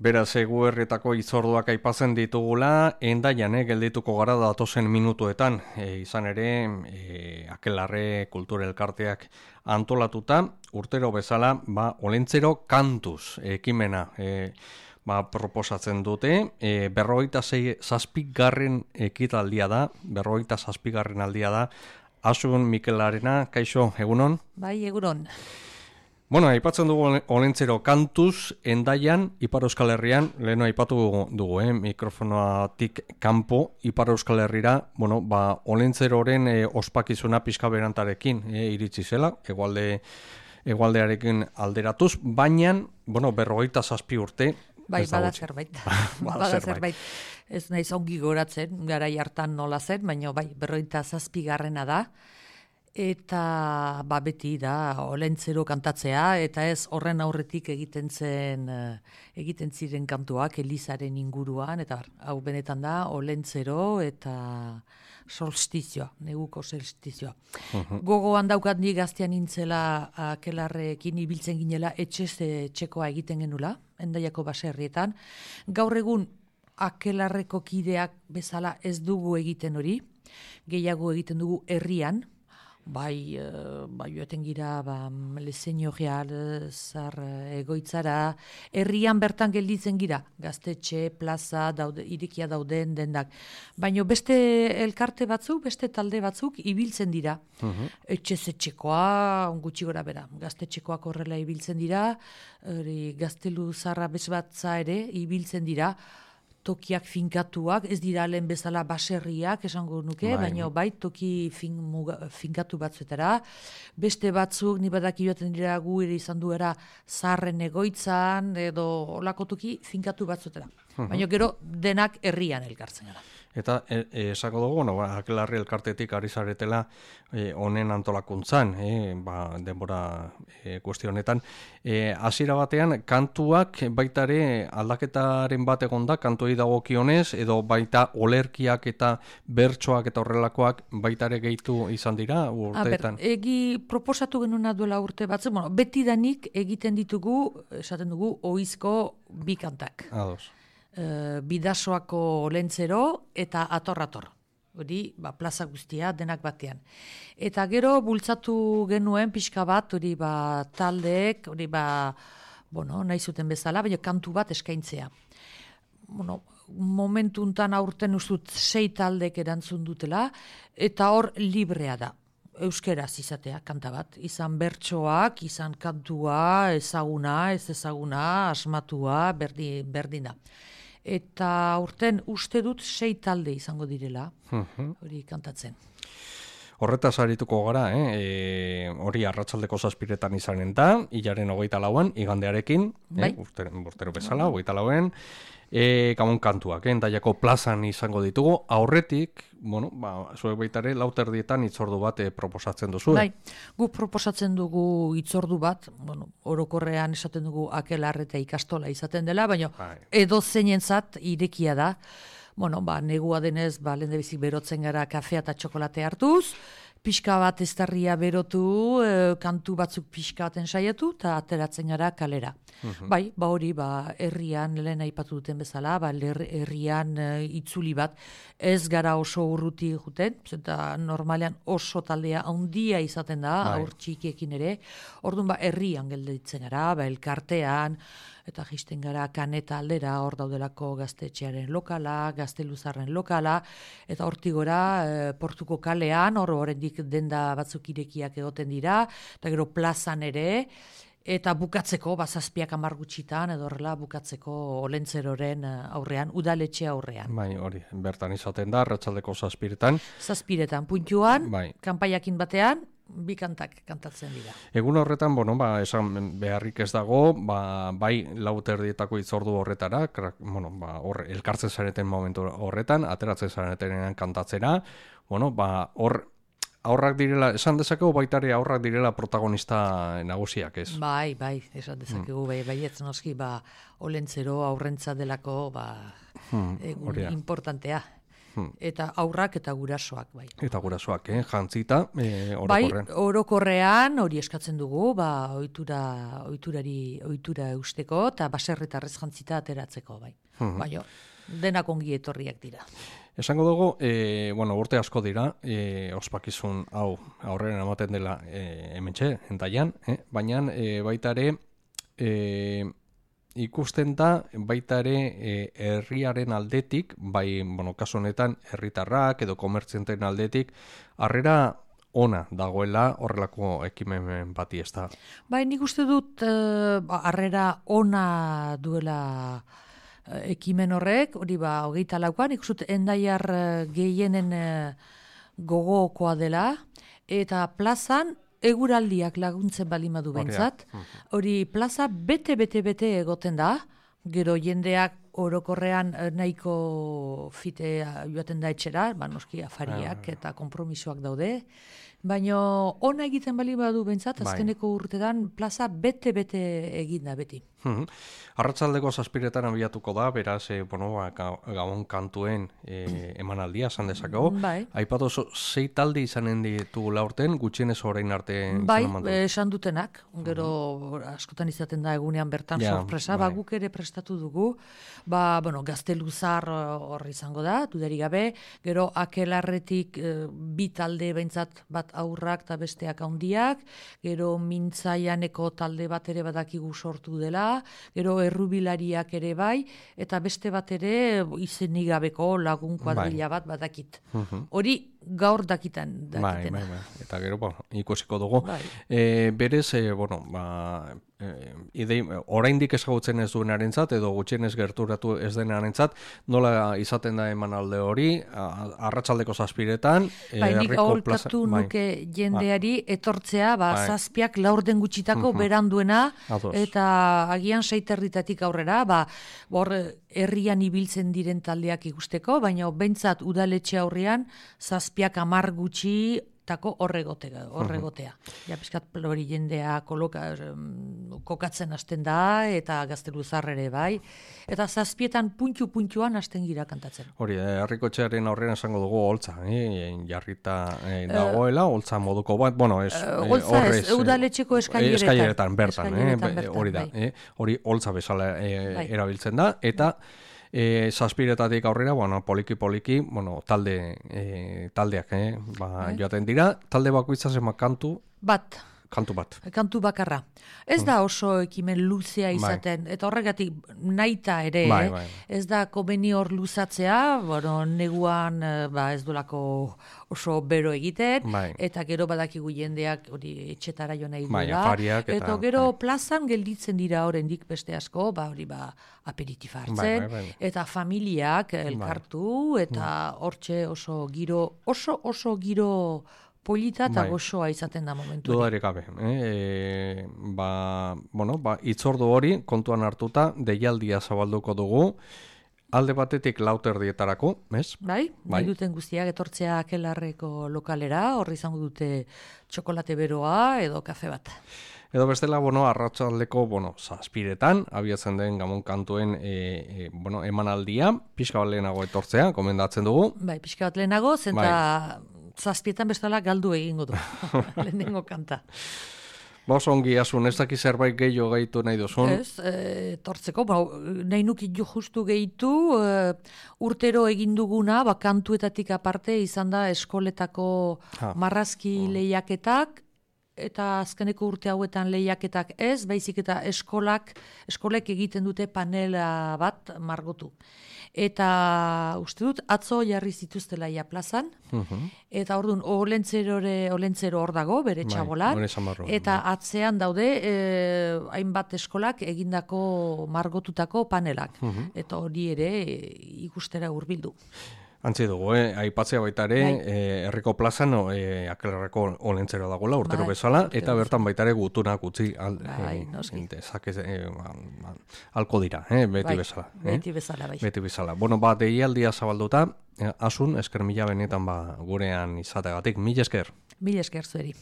Beraz, eguerretako itzorduak aipatzen ditugula, Hendaian geldituko gara datozen minutuetan, izan ere, Akelarre Kultura Elkarteak antolatuta, urtero bezala, Olentzero kantuz ekimena proposatzen dute, 47. ekitaldia da, 47. aldia da, Asun Mikelarena, kaixo, egunon? Bai, egunon. Bueno, aipatzen dugu Olentzero kantuz, Hendaian, Ipar Euskal Herrian, leheno aipatu dugu, mikrofonoatik kanpo, Ipar Euskal Herrira, Olentzeroren ospakizuna pixka berantarekin iritsi zela, egualdearekin alderatuz, baina, 47 urte. Bai, bada zerbait. Bada zerbait. Ez naiz ongi goratzen, garai hartan nola zen, baina bai, 47. da. Eta beti da Olentzero kantatzea, eta ez horren aurretik egiten ziren kantuak Elizaren inguruan, eta hau benetan da Olentzero eta solstizioa, neguko solstizioa. Gogoan daukat ni gaztean nintzela Akelarrekin ibiltzen ginela etxez txekoa egiten genula, Hendaiako baserrietan. Gaur egun Akelarreko kideak bezala ez dugu egiten hori, gehiago egiten dugu herrian, Bai, joaten gira, Leseño Real, zar egoitzara, herrian bertan gelditzen gira, gaztetxe, plaza, irikia dauden dendak. Baina beste elkarte batzuk, beste talde batzuk ibiltzen dira. Etxezetxekoa, gutxi gora bera, gaztetxekoak horrela ibiltzen dira, gaztelu zarra bezbatza ere ibiltzen dira, tokiak finkatuak, ez dira lehen bezala baserriak, esango nuke, baina bai toki finkatu batzuetara. Beste batzuk, ni badaki joaten dira gu ere izan duera zaharren egoitzan, edo olako toki finkatu batzuetara. Baina gero denak herrian elkartzen gara. Eta esako dugu, Akelarre elkartetik ari zaretela honen antolakuntzan, denbora kuestionetan. Hasiera batean, kantuak baitare aldaketaren bat egonda, kantuei dagokionez, edo baita olerkiak eta bertsoak eta horrelakoak baitare gehitu izan dira urteetan? Egi proposatu genuna duela urte batzen, beti danik egiten ditugu, esaten dugu, ohizko bi kantak. Ados. Bidasoako Olentzero eta ator. Hori, plaza guztia denak batean. Eta gero bultzatu genuen pixka bat, hori taldeek, hori nahi zuten bezala, baina kantu bat eskaintzea. Momentuntan aurten ustut 6 taldek erantzun dutela, eta hor librea da. Euskeraz izatea, kanta bat. Izan bertsoak, izan kantua, ezaguna, ez ezaguna, asmatua, berdina. Eta urten uste dut 6 talde izango direla, hori kantatzen. Horretaz arituko gara, hori arratsaldeko 7 izanen da, hilaren 24an, igandearekin, urtero bezala, 24an, Gabon kantuak, Hendaiako plazan izango ditugu, aurretik, zuek baitare lauterdietan hitzordu bat proposatzen duzu. Bai, guk proposatzen dugu hitzordu bat, orokorrean esaten dugu Akelarre eta ikastola izaten dela, baina edo zeinentzat irekia da. Negua denez, lehendabizik berotzen gara kafea eta txokolate hartuz, pixka bat eztarria berotu, kantu batzuk pixka baten saiatu, eta ateratzen gara kalera. Bai, hori, herrian, lehen aipatu duten bezala, herrian itzuli bat, ez gara oso urruti juten, eta normalean oso taldea handia izaten da, aur txikiekin ere, orduan herrian gelditzen gara, elkartean, eta jisten gara Kaneta aldera, hor daudelako gaztetxearen lokala, gazteluzarren lokala, eta hortik gora Portuko kalean, hor oraindik denda batzuk irekiak egoten dira, eta gero plazan ere, eta bukatzeko, 7-10 gutxitan, edo horrela bukatzeko Olentzeroren aurrean, udaletxe aurrean. Bai, hori, bertan izaten da, arratsaldeko 7etan. 7etan, puntuan, kanpaiakin batean, bi kantak kantatzen dira. Egun horretan, esan beharrik ez dago, bai lauterdietako hitzordu horretara, elkartzen zareten momentu horretan, ateratzen zaretenean kantatzera, hor aurrak direla, esan dezakegu baitare aurrak direla protagonista nagusiak, ez? Bai, esan dezakegu, baietz noski, Olentzero aurrentza delako, egun importantea. Eta aurrak eta gurasoak, bai. Eta gurasoak, jantzita, orokorrean. Bai, orokorrean hori eskatzen dugu, ohitura eusteko, eta baserritarrez jantzita ateratzeko, bai. Baina, denak ongi etorriak dira. Esango dugu, urte asko dira, ospakizun hau aurrera ematen dela hementxe, entaian, baina baita ere, ikusten da baita ere herriaren aldetik, bai, kasu honetan herritarrak edo komertzianten aldetik, harrera ona dagoela horrelako ekimen bati, ez da? Bai, nik uste dut harrera ona duela ekimen horrek, hori 24an, nik uste dut Hendaiar gehienen gogokoa dela, eta plazan eguraldiak laguntzen balimadu behintzat. Hori plaza bete egoten da, gero jendeak orokorrean nahiko fitea joaten da etxera, noski afariak eta konpromisoak daude, baina ona egiten balimadu behintzat, azkeneko urtetan plaza bete egin da beti. Arratsaldeko 7:00 abiatuko da, beraz, gabon kantuen emanaldia, esan dezakegu. Aipatu 6 talde izanen ditugula urten, gutxienez orain arte. Bai, esan dutenak, gero askotan izaten da egunean bertan sorpresa, guk ere prestatu dugu, Gazteluzar hor izango da, dudari gabe, gero Akelarretik 2 talde behintzat, bat aurrak eta besteak handiak, gero Mintzaianeko talde bat ere badakigu sortu dela, gero Errubilariak ere bai, eta beste bat ere izenik gabeko lagun kuadrilla bat badakit. Hori gaur dakitena. Bai. Eta gero, ikusiko dugu. Berez, oraindik ezagutzen ez duenarentzat edo gutxienez gerturatu ez denarentzat, nola izaten da emanalde hori, arratsaldeko 7:00. Nik aholkatu nuke jendeari etortzea, 7:00 laurden gutxitako beranduena, eta agian 6:00 aurrera, hor herrian ibiltzen diren taldeak ikusteko, baina behintzat udaletxe aurrean 7:00 10 gutxi horregotea. Ja, pizkat hori jendea kokatzen hasten da, eta Gazteluzar ere bai. Eta 7:00 puntuan hasten gira kantatzen. Hori, Herrikotxearen aurrean esango dugu holtza, jarrita dagoela, holtza moduko bat, holtza ez, udaletxeko eskaileretan. Bertan, hori da. Hori holtza bezala erabiltzen da, eta 7:00 aurrera, poliki, taldeak, joaten dira, talde bakoitza zenbat kantu? Kantu bat. Kantu bakarra. Ez da oso ekimen luzea izaten, eta horregatik nahita ere, ez da komeni hor luzatzea, neguan ez dolako oso bero egiten, eta gero badakigu jendeak hori etxetara jo nahi duela, eta gero plazan gelditzen dira oraindik beste asko, hori aperitif hartzen, eta familiak elkartu, eta hortxe oso giro polita eta gozoa izaten da momentu. Dudarik gabe. Itzordu hori kontuan hartuta, deialdia zabalduko dugu, alde batetik 4:00 ez? Nahi duten guztiak etortzea Akelarreko lokalera, horri izango dute txokolate beroa edo kafe bat. Edo bestela, arratsaldeko 7:00 abiatzen den Gabon kantuen emanaldia, pixka bat lehenago etortzea, komendatzen dugu. Pixka bat lehenago, zenta 7:00 bestela galdu egingo du, lehenengo kanta. Ongi, asun, ez daki zerbait gehiago gehitu nahi duzun? Ez, tortzeko, nahi nukit jo justu gehitu, urtero egin duguna, kantuetatik aparte izan da eskoletako marrazki lehiaketak, eta azkeneko urte hauetan lehiaketak ez, baizik eta eskolek egiten dute panela bat margotu. Eta uste dut, atzo jarri zituztela ia plazan, eta orduan olentzero hor dago, bere txabolan, eta atzean daude hainbat eskolak egindako margotutako panelak, eta hori ere ikustera hurbildu. Antzi dugu, aipatzea baita ere, herriko plazan Akelarreko olentzero dagoela, urtero bezala, eta bertan baita ere gutunak utzi alko dira, beti bezala. Beti bezala, bai. Beti bezala. Deialdia zabalduta, asun, esker mila benetan gurean izategatik. Mil esker. Mil esker zueri.